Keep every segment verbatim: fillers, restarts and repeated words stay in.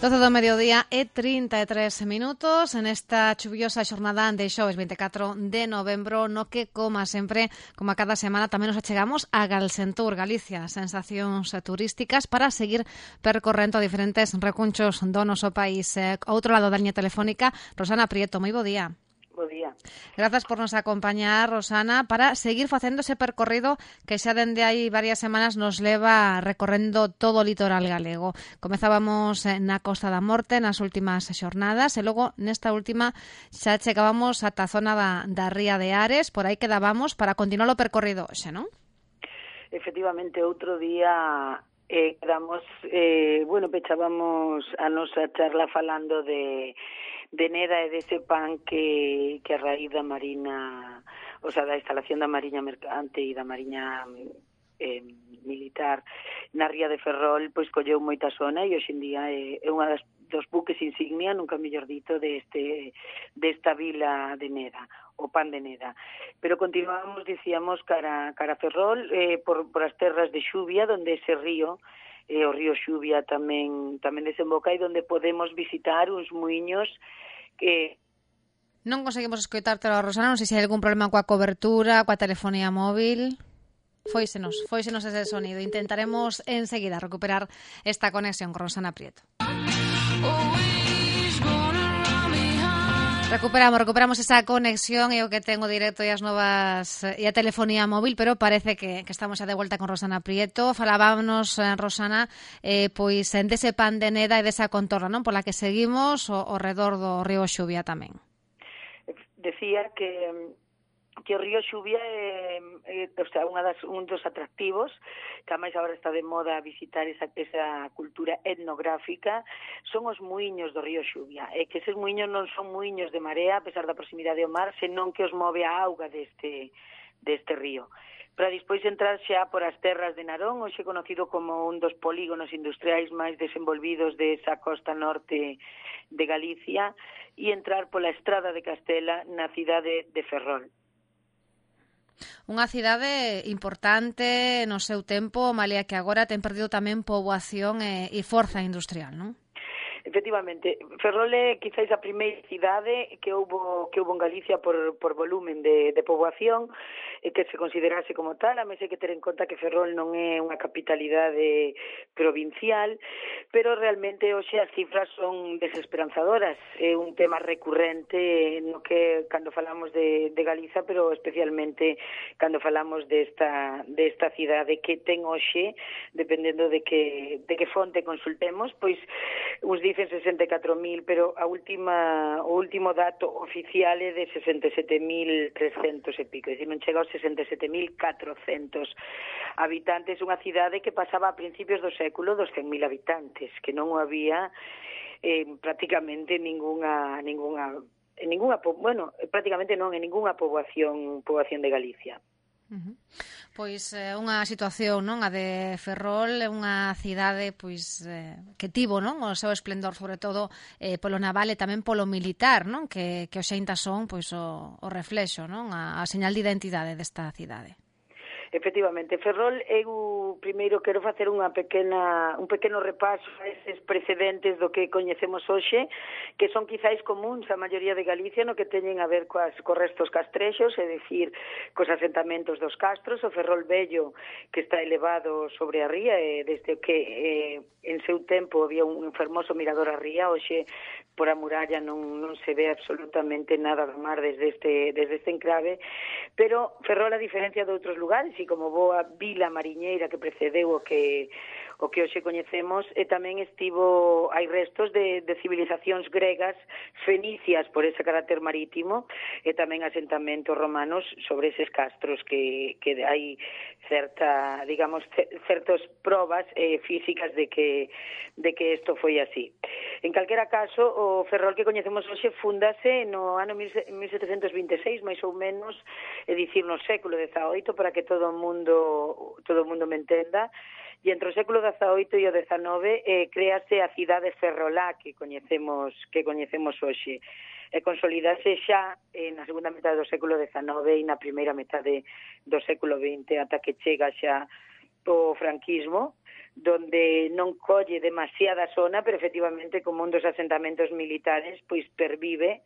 doce do mediodía e trinta e tres minutos en esta chuviosa xornada de xoves veinticuatro de novembro, no que, como sempre, como a cada semana, tamén nos achegamos a Galsentur, Galicia, sensacións turísticas para seguir percorrendo diferentes recunchos do noso país. Eh, outro lado da liña telefónica, Rosana Prieto, moi bo día. Bo día. Grazas por nos acompañar, Rosana, para seguir facendo ese percorrido que xa dende hai varias semanas nos leva recorrendo todo o litoral galego. Comezábamos na Costa da Morte nas últimas xornadas e logo nesta última xa chegábamos ata a zona da, da Ría de Ares, por aí quedábamos para continuar o percorrido hoxe, non? Efectivamente, outro día eh, quedamos, eh, bueno, pechábamos a nosa charla falando de de Neda e dese pan que, que a raíz da Marina, o sea, da instalación da Mariña Mercante e da Mariña eh, Militar na Ría de Ferrol, pois colleu moita zona e hoxe en día é, é unha das, dos buques insignia, nunca mellor dito, deste, desta vila de Neda, o pan de Neda. Pero continuamos, dicíamos, cara, cara a Ferrol, eh, por, por as terras de Xuvia, donde ese río, e o río Xuvia tamén tamén desemboca e onde podemos visitar uns muiños que... Non conseguimos escoitártelo, Rosana, non sei se hai algún problema coa cobertura, coa telefonía móvil. Fóisenos, fóisenos ese sonido. Intentaremos enseguida recuperar esta conexión con Rosana Prieto. Recuperamos, recuperamos esa conexión e o que tengo directo e as novas e a telefonía móvil, pero parece que, que estamos xa de volta con Rosana Prieto. Falábamos, Rosana, eh, pois dese pan de Neda e desa contorna, non? Pola que seguimos ao, ao redor do río Xuvia tamén. Decía que que o río Xuvia é, é o sea, unha das, un dos atractivos que máis agora está de moda visitar esa, esa cultura etnográfica, son os muiños do río Xuvia, e que eses muiños non son muiños de marea a pesar da proximidade ao mar, senón que os move a auga deste, deste río. Para despois entrar xa por as terras de Narón, hoxe conocido como un dos polígonos industriais máis desenvolvidos desa costa norte de Galicia, e entrar pola estrada de Castela na cidade de Ferrol. Unha cidade importante no seu tempo, malia que agora ten perdido tamén poboación e, e forza industrial, non? Efectivamente, Ferrol é quizáis a primeira cidade que houbo que houbo en Galicia por, por volumen de, de poboación e que se considerase como tal. A mes hai que ter en conta que Ferrol non é unha capitalidade provincial, pero realmente hoxe as cifras son desesperanzadoras. É un tema recurrente no que cando falamos de, de Galiza, pero especialmente cando falamos desta, desta cidade que ten hoxe, dependendo de que, de que fonte consultemos, pois uns dicen sesenta e catro mil, pero a última, o último dato oficial é de sesenta e sete mil trescentos e pico, é dicir, non chega aos sesenta e sete mil catrocentos habitantes, unha cidade que pasaba a principios do século dos cen mil habitantes, que non había eh, prácticamente ningunha, ningunha, ningunha, bueno, prácticamente non en ningunha poboación, poboación de Galicia. Uh-huh. Pois é eh, unha situación, non, a de Ferrol, é unha cidade pois eh, que tivo, non, o seu esplendor sobre todo eh, polo naval e tamén polo militar, non, que que os xeintas son pois o, o reflexo, non, a, a señal de identidade desta cidade. Efectivamente, Ferrol, eu primeiro quero facer unha pequena, un pequeno repaso a eses precedentes do que coñecemos hoxe, que son quizáis comuns a maioría de Galicia no que teñen a ver coas, cos restos castrexos, é dicir, cos asentamentos dos castros, o Ferrol Vello, que está elevado sobre a ría, e desde que eh, en seu tempo había un fermoso mirador a ría, hoxe por a muralla non, non se ve absolutamente nada do mar desde este, desde este enclave, pero Ferrol, a diferencia de outros lugares, e como boa vila mariñeira que precedeu o que o que hoxe coñecemos, e tamén estivo, hai restos de, de civilizacións gregas, fenicias por ese carácter marítimo, e tamén asentamentos romanos sobre eses castros que, que hai certa, digamos, certas probas eh, físicas de que de que isto foi así. En calquera caso, o Ferrol que coñecemos hoxe fundase no ano mil setecentos vinte e seis, máis ou menos, é dicir, no século dezaoito, para que todo o mundo todo o mundo me entenda. E entre o século dezaoito e o dezanove eh, créase a cidade ferrolá que coñecemos que coñecemos hoxe. E consolidase xa eh, na segunda metade do século dezanove e na primeira metade do século vinte, ata que chega xa o franquismo, donde non colle demasiada zona, pero efectivamente como un dos asentamentos militares, pois pervive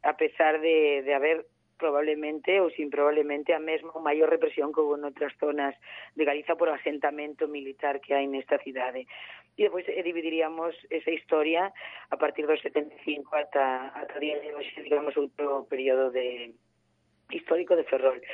a pesar de, de haber probablemente ou sin probablemente a mesma ou maior represión que houve noutras zonas de Galiza por o asentamento militar que hai nesta cidade. E depois eh, dividiríamos esa historia a partir dos setenta e cinco ata, ata día de hoxe, digamos, outro período de histórico de Ferrol.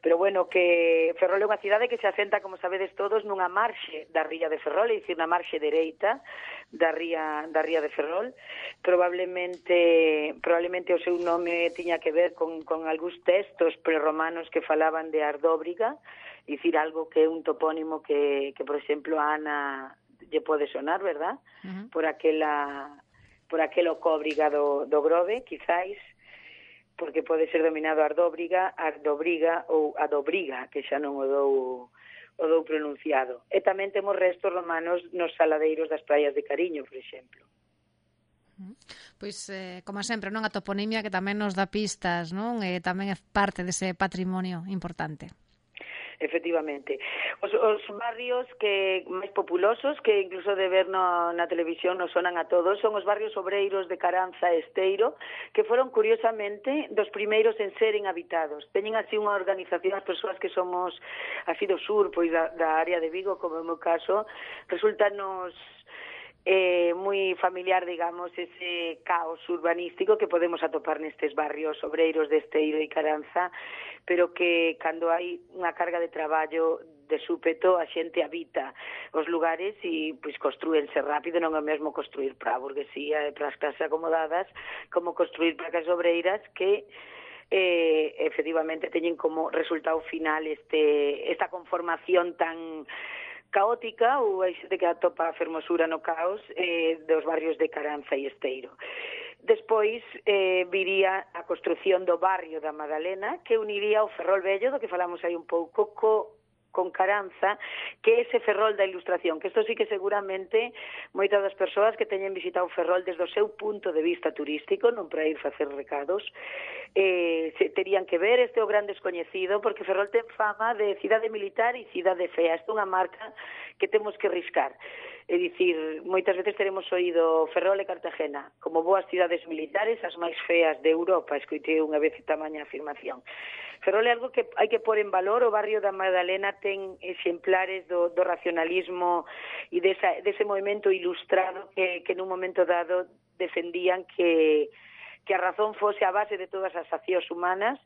Pero bueno, que Ferrol é unha cidade que se asenta, como sabedes todos, nunha marxe da ría de Ferrol, é dicir, na marxe dereita da ría, da ría de Ferrol. Probablemente probablemente o seu nome tiña que ver con, con algúns textos prerromanos que falaban de Ardóbriga, é dicir, algo que é un topónimo que, que por exemplo, a Ana lle pode sonar, verdad? Uh-huh. Por aquela por aquelo cóbriga do, do Grove, quizáis, porque pode ser dominado Ardóbriga, Ardobriga ou Adobriga, que xa non o dou, o dou pronunciado. E tamén temos restos romanos nos saladeiros das praias de Cariño, por exemplo. Pois, eh, como sempre, non a toponimia que tamén nos dá pistas, non? E tamén é parte dese patrimonio importante. Efectivamente. Os, os barrios que máis populosos, que incluso de ver no, na televisión nos sonan a todos, son os barrios obreiros de Caranza e Esteiro, que foron, curiosamente, dos primeiros en seren habitados. Teñen así unha organización, as persoas que somos así do sur, pois da, da área de Vigo, como é o meu caso, resulta nos eh, moi familiar, digamos, ese caos urbanístico que podemos atopar nestes barrios obreiros de Esteiro e Caranza, pero que cando hai unha carga de traballo de súpeto a xente habita os lugares e pois construense rápido, non é o mesmo construir para a burguesía e para as clases acomodadas como construir para as obreiras que eh, efectivamente teñen como resultado final este esta conformación tan caótica, ou hai xente que atopa a fermosura no caos eh, dos barrios de Caranza e Esteiro. Despois eh, viría a construción do barrio da Madalena, que uniría o Ferrol Vello, do que falamos aí un pouco, co con Caranza, que é ese Ferrol da Ilustración, que isto sí que seguramente moitas das persoas que teñen visitado Ferrol desde o seu punto de vista turístico, non para ir facer recados, eh, se terían que ver, este é o gran descoñecido, porque Ferrol ten fama de cidade militar e cidade fea. Esta é unha marca que temos que riscar. É dicir, moitas veces teremos oído Ferrol e Cartagena como boas cidades militares, as máis feas de Europa, escoitei unha vez tamaña afirmación. Ferrol é algo que hai que pôr en valor, o barrio da Madalena ten exemplares do, do racionalismo e desa, dese movimento ilustrado que, que nun momento dado defendían que, que a razón fose a base de todas as accións humanas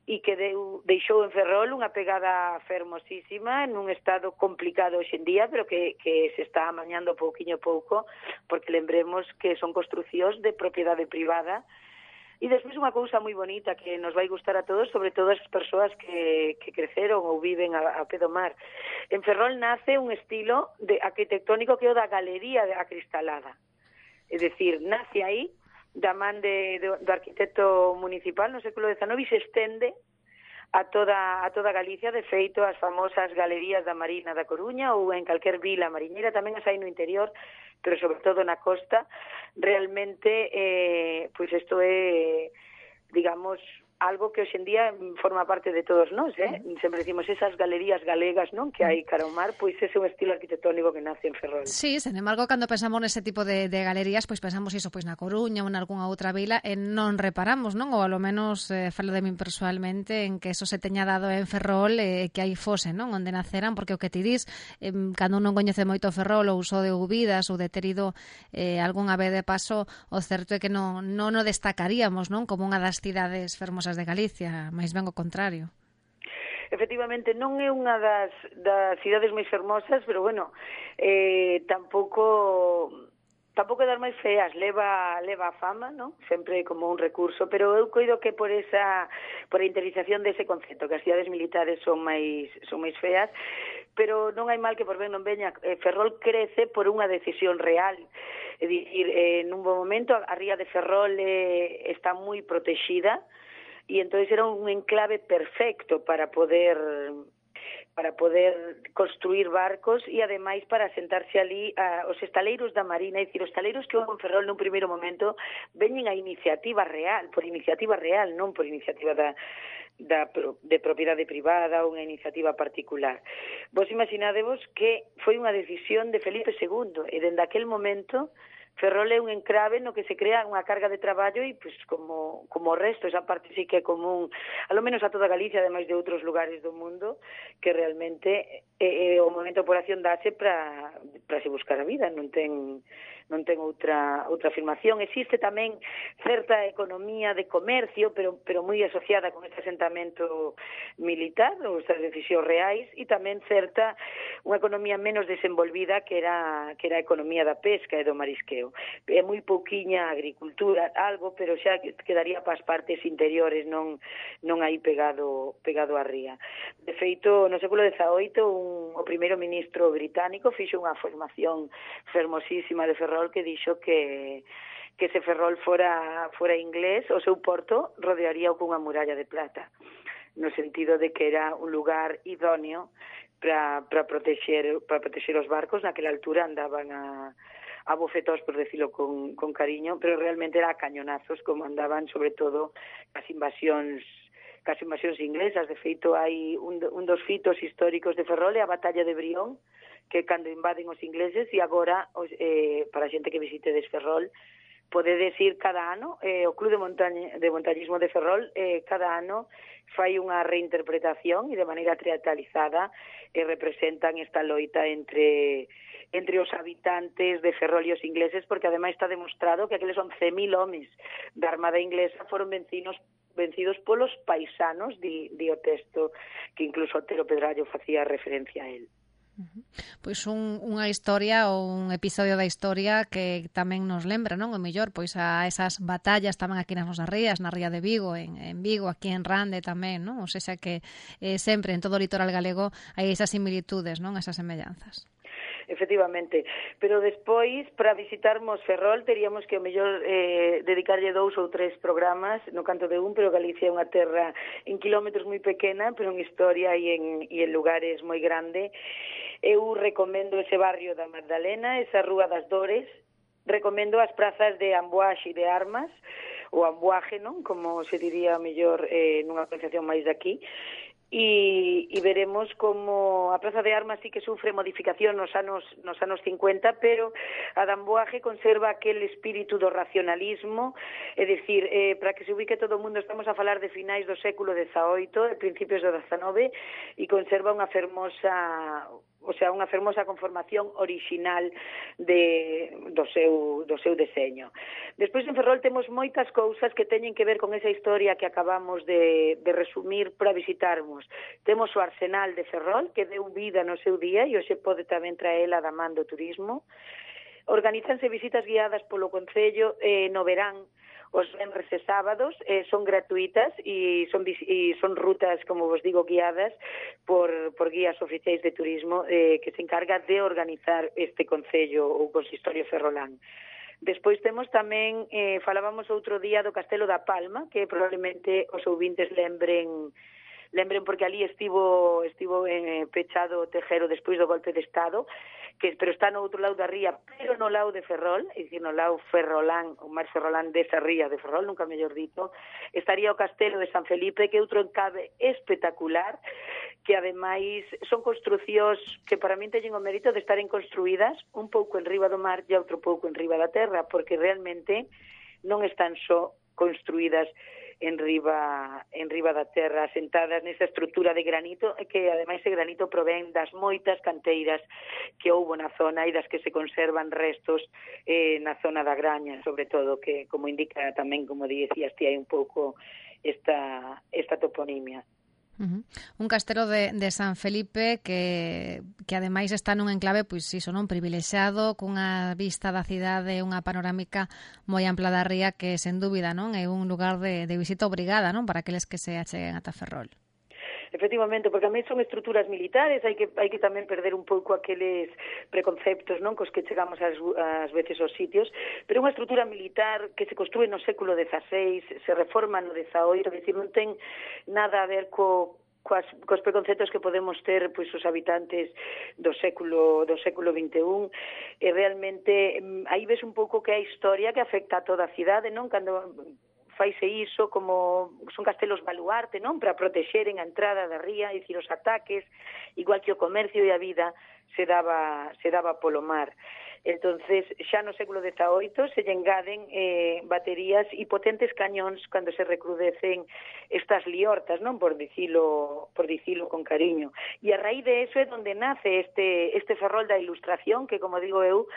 e que deu, deixou en Ferrol unha pegada fermosísima en un estado complicado hoxe en día, pero que, que se está amañando pouquiño a pouco, porque lembremos que son construcións de propiedade privada. E despois unha cousa moi bonita que nos vai gustar a todos, sobre todo as persoas que, que creceron ou viven a, a pé do mar. En Ferrol nace un estilo de arquitectónico que é o da galería acristalada. É dicir, nace aí, da man de, de, do arquitecto municipal no século dezanove e se estende a toda, a toda Galicia. De feito, as famosas galerías da Marina da Coruña ou en calquer vila mariñeira, tamén as hai no interior, pero sobre todo na costa. Realmente, eh, pois isto é, digamos, algo que hoxe en día forma parte de todos nós, eh? Sempre decimos esas galerías galegas, non, que hai cara ao mar, pois ese é un estilo arquitectónico que nace en Ferrol. Sí, sen embargo, cando pensamos nese tipo de, de galerías, pois pensamos iso, pois na Coruña ou en algunha outra vila, e non reparamos, non? Ou ao menos eh, falo de min persoalmente en que eso se teña dado en Ferrol e eh, que aí fose, non? Onde naceran, porque o que ti dis, eh, cando non coñece moito Ferrol ou só de ouvidas ou de ter ido eh, algunha vez de paso, o certo é que non, non o destacaríamos, non? Como unha das cidades fermosas de Galicia, máis ben o contrario. Efectivamente, non é unha das, das cidades máis fermosas, pero bueno, eh, tampouco tampouco é das máis feas, leva leva a fama, non? Sempre como un recurso, pero eu coido que por esa por a interiorización dese concepto, que as cidades militares son máis son máis feas, pero non hai mal que por ben non veña. Ferrol crece por unha decisión real. É dicir, eh, nun bom momento a ría de Ferrol eh, está moi protexida, e entonces era un enclave perfecto para poder para poder construir barcos e, ademais, para sentarse ali a, os estaleiros da Marina, é dicir, os estaleiros que houve en Ferrol nun primeiro momento veñen a iniciativa real, por iniciativa real, non por iniciativa da, da, de propiedade privada ou unha iniciativa particular. Vos imaginadevos que foi unha decisión de Felipe segundo, e dende aquel momento Ferrol é un encrave no que se crea unha carga de traballo e, pois, como, como o resto, esa parte sí que é común, alo menos a toda Galicia, ademais de outros lugares do mundo, que realmente é, é o momento de operación dase para para se buscar a vida, non ten non ten outra outra afirmación. Existe tamén certa economía de comercio, pero pero moi asociada con este asentamento militar, ou estas decisións reais, e tamén certa unha economía menos desenvolvida que era que era a economía da pesca e do marisqueo. É moi pouquiña agricultura, algo, pero xa quedaría para as partes interiores, non non aí pegado pegado a ría. De feito, no século dezaoito, un, o primeiro ministro británico fixo unha formación fermosísima de Ferrol que dixo que que se Ferrol fora fora inglés, o seu porto rodearía cunha muralla de plata, no sentido de que era un lugar idóneo para para protexer para protexer os barcos. Naquela altura andaban a a bofetós, por decirlo con, con cariño, pero realmente era a cañonazos como andaban, sobre todo as invasións cas invasións inglesas. De feito, hai un, un dos fitos históricos de Ferrol é a batalla de Brión, que cando invaden os ingleses, e agora, os, eh, para a xente que visite des Ferrol, podedes ir cada ano, eh, o Club de, Montaña, de Montañismo de Ferrol eh, cada ano fai unha reinterpretación e de maneira teatralizada eh, representan esta loita entre entre os habitantes de Ferrol e os ingleses, porque ademais está demostrado que aqueles once mil homes da Armada Inglesa foron vencidos vencidos polos paisanos, di, di o texto, que incluso Otero Pedrallo facía referencia a él. Pois un, unha historia ou un episodio da historia que tamén nos lembra, non? O mellor, pois a esas batallas tamén aquí nas nosas rías, na ría de Vigo, en, en Vigo, aquí en Rande tamén, non? O sea que eh, sempre en todo o litoral galego hai esas similitudes, non? Esas semellanzas. Efectivamente, pero despois para visitarmos Ferrol teríamos que o mellor eh, dedicarlle dous ou tres programas, no canto de un, pero Galicia é unha terra en kilómetros moi pequena, pero en historia e en, e en lugares moi grande. Eu recomendo ese barrio da Magdalena, esa Rúa das Dores, recomendo as prazas de Amboaxe e de Armas, ou Amboaje, non? Como se diría mellor eh, nunha pronunciación máis daqui. E, e veremos como a Praza de Armas sí que sufre modificación nos anos nos anos cincuenta, pero a de Amboaje conserva aquel espírito do racionalismo, é dicir, eh, para que se ubique todo o mundo, estamos a falar de finais do século dezaoito, de principios do dezanove, e conserva unha fermosa o sea, unha fermosa conformación orixinal de, do, seu, do seu deseño. Despois en Ferrol temos moitas cousas que teñen que ver con esa historia que acabamos de, de resumir para visitarmos. Temos o Arsenal de Ferrol, que deu vida no seu día e hoxe pode tamén traela da man do turismo. Organízanse visitas guiadas polo Concello eh, no verán, os venres e sábados, eh, son gratuitas e son, e son rutas, como vos digo, guiadas por, por guías oficiais de turismo eh, que se encarga de organizar este Concello ou Consistorio Ferrolán. Despois temos tamén, eh, falábamos outro día do Castelo da Palma, que probablemente os ouvintes lembren lembren porque ali estivo estivo eh, pechado o Tejero despois do golpe de Estado, que pero está no outro lado da ría, pero no lado de Ferrol, é dicir, no lado ferrolán, o máis ferrolán desa ría de Ferrol, nunca mellor dito, estaría o Castelo de San Felipe, que é outro encave espectacular, que ademais son construcións que para min teñen o mérito de estaren construídas un pouco en riba do mar e outro pouco en riba da terra, porque realmente non están só construídas en riba en riba da terra, asentadas nesa estrutura de granito, que ademais ese granito provén das moitas canteiras que houbo na zona e das que se conservan restos eh, na zona da Graña, sobre todo, que como indica tamén, como dicías ti, hai un pouco esta, esta toponimia. Uh-huh. Un castelo de, de San Felipe que, que ademais está nun enclave pois iso, non, privilexiado, cunha vista da cidade, unha panorámica moi ampla da ría que sen dúbida, non, é un lugar de, de visita obrigada, non, para aqueles que se acheguen ata Ferrol. Efectivamente, porque a mí son estruturas militares, hai que hai que tamén perder un pouco aqueles preconceptos, non, cos que chegamos ás, ás veces aos sitios, pero unha estrutura militar que se construe no século dezaseis, se reforma no dezaoito, é dicir, non ten nada a ver co coas, cos preconceptos que podemos ter pois os habitantes do século do século vinte e un, e realmente aí ves un pouco que é a historia que afecta a toda a cidade, non? Cando faise iso como son castelos baluarte, non? Para protexeren a entrada da ría, e dicir, os ataques, igual que o comercio e a vida se daba se daba polo mar. Entonces, xa no século dezaoito se lle engaden eh, baterías e potentes cañóns cando se recrudecen estas liortas, non? Por dicilo, por dicilo con cariño. E a raíz de eso é onde nace este, este ferrol da Ilustración, que, como digo eu,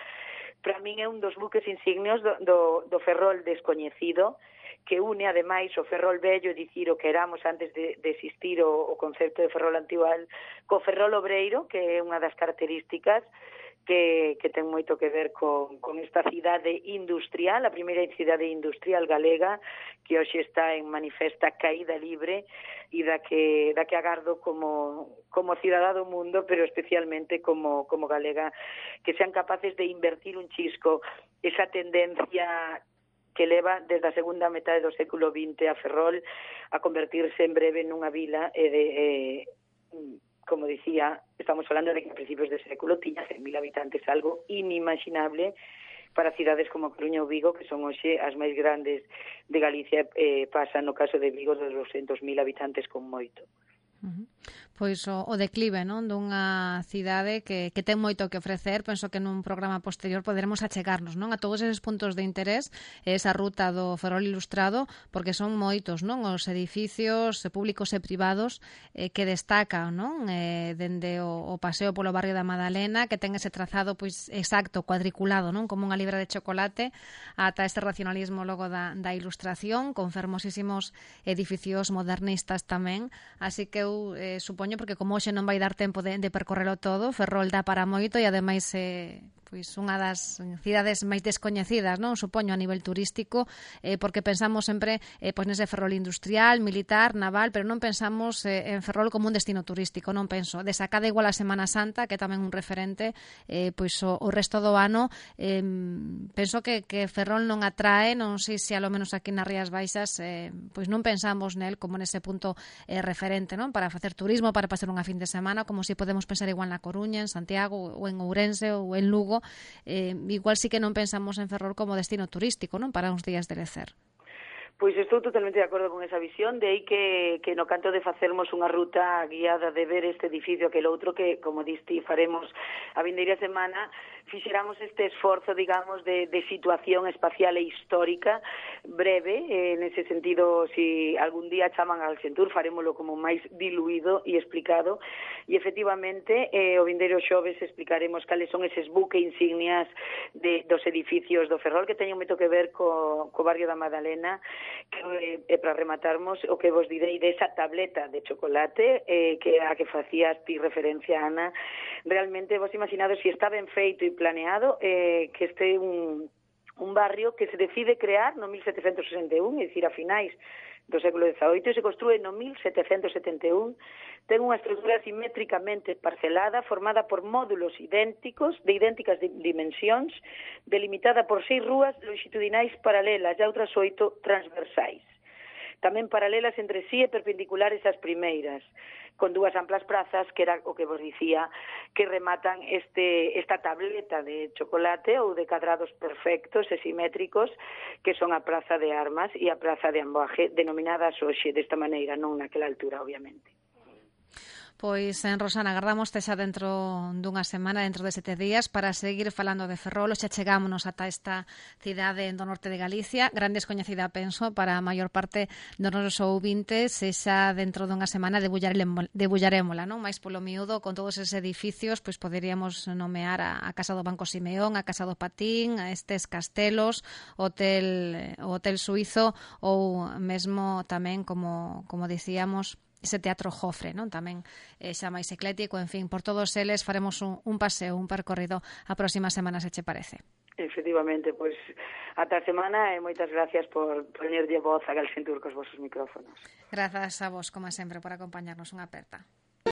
para min é un dos buques insignios do, do, do ferrol descoñecido, que une, ademais, o ferrol vello, dicir, o que éramos antes de, de existir o, o concepto de ferrol antigual, co ferrol obreiro, que é unha das características que, que ten moito que ver con, con esta cidade industrial, a primeira cidade industrial galega, que hoxe está en manifesta caída libre e da que, da que agardo como, como cidadá do mundo, pero especialmente como, como galega, que sean capaces de invertir un chisco esa tendencia que leva desde a segunda metade do século vinte a Ferrol a convertirse en breve nunha vila e de... Eh, como dicía, estamos falando de que a principios de século tiña cen mil habitantes, algo inimaginable para cidades como Coruña ou Vigo, que son hoxe as máis grandes de Galicia, eh, pasan no caso de Vigo dos doscientos mil habitantes con moito. Uh-huh. Pois o, o declive, non, dunha cidade que, que ten moito que ofrecer. Penso que nun programa posterior poderemos achegarnos, non, a todos eses puntos de interés, esa ruta do Ferrol Ilustrado, porque son moitos, non, os edificios públicos e privados eh, que destacan, non, eh, dende o, o paseo polo barrio da Madalena, que ten ese trazado pois exacto, cuadriculado, non, como unha libra de chocolate, ata este racionalismo logo da, da Ilustración, con fermosísimos edificios modernistas tamén, así que eu eh, supoño, porque como hoxe non vai dar tempo de, de percorrelo todo, Ferrol dá para moito e ademais eh, pois unha das cidades máis descoñecidas, non, supoño, a nivel turístico, eh, porque pensamos sempre eh, pois nese Ferrol industrial, militar, naval, pero non pensamos eh, en Ferrol como un destino turístico, non penso. Desacada igual a Semana Santa, que é tamén un referente, eh, pois o, o resto do ano, eh, penso que, que Ferrol non atrae, non sei se alo menos aquí nas Rías Baixas, eh, pois non pensamos nel como nese punto eh, referente, non, para facer turismo, para pasar unha fin de semana, como se si podemos pensar igual na Coruña, en Santiago, ou en Ourense, ou en Lugo. Eh, igual sí que non pensamos en Ferrol como destino turístico, non, para uns días de lecer. Pois estou totalmente de acordo con esa visión, de aí que, que no canto de facermos unha ruta guiada de ver este edificio que el outro que, como diste, faremos a vindeira semana, fixeramos este esforzo, digamos, de, de situación espacial e histórica breve, eh, nese sentido, si algún día chaman al Xentur, farémolo como máis diluído e explicado, e efectivamente, eh, o vindeiro xoves explicaremos cales son eses buque insignias de, dos edificios do Ferrol, que teñen moito que ver co, co barrio da Madalena, que eh, para rematarmos o que vos direi desa tableta de chocolate eh, que a que facías ti referencia, Ana. Realmente vos imaginades si está ben feito e planeado eh, que este un, un barrio que se decide crear no mil setecentos sesenta e un, é dicir, a finais do século dezaoito, e se construe no mil setecentos setenta e un, ten unha estrutura simétricamente parcelada, formada por módulos idénticos, de idénticas dimensións, delimitada por seis rúas longitudinais paralelas e outras oito transversais. Tamén paralelas entre sí e perpendiculares ás primeiras, con dúas amplas prazas, que era o que vos dicía, que rematan este esta tableta de chocolate ou de cadrados perfectos e simétricos, que son a Praza de Armas e a Praza de Amboaje, denominadas hoxe desta maneira, non naquela altura, obviamente. Pois, en Rosana, agardámoste xa dentro dunha semana, dentro de sete días, para seguir falando de Ferrol. Xa chegámonos ata esta cidade do norte de Galicia, gran descoñecida, penso, para a maior parte dos nosos ouvintes, e xa dentro dunha semana debullarémola, non? Mais polo miúdo, con todos eses edificios, pois poderíamos nomear a, a Casa do Banco Simeón, a Casa do Patín, a estes castelos, o hotel, o hotel suizo, ou mesmo tamén, como, como dicíamos, ese Teatro Jofre, non? Tamén eh, xa máis eclético, en fin, por todos eles faremos un, un paseo, un percorrido a próxima semana, se che parece. Efectivamente, pois ata a semana e moitas gracias por poñerlle voz a Galsentur cos vosos micrófonos. Grazas a vos, como sempre, por acompañarnos. Unha aperta.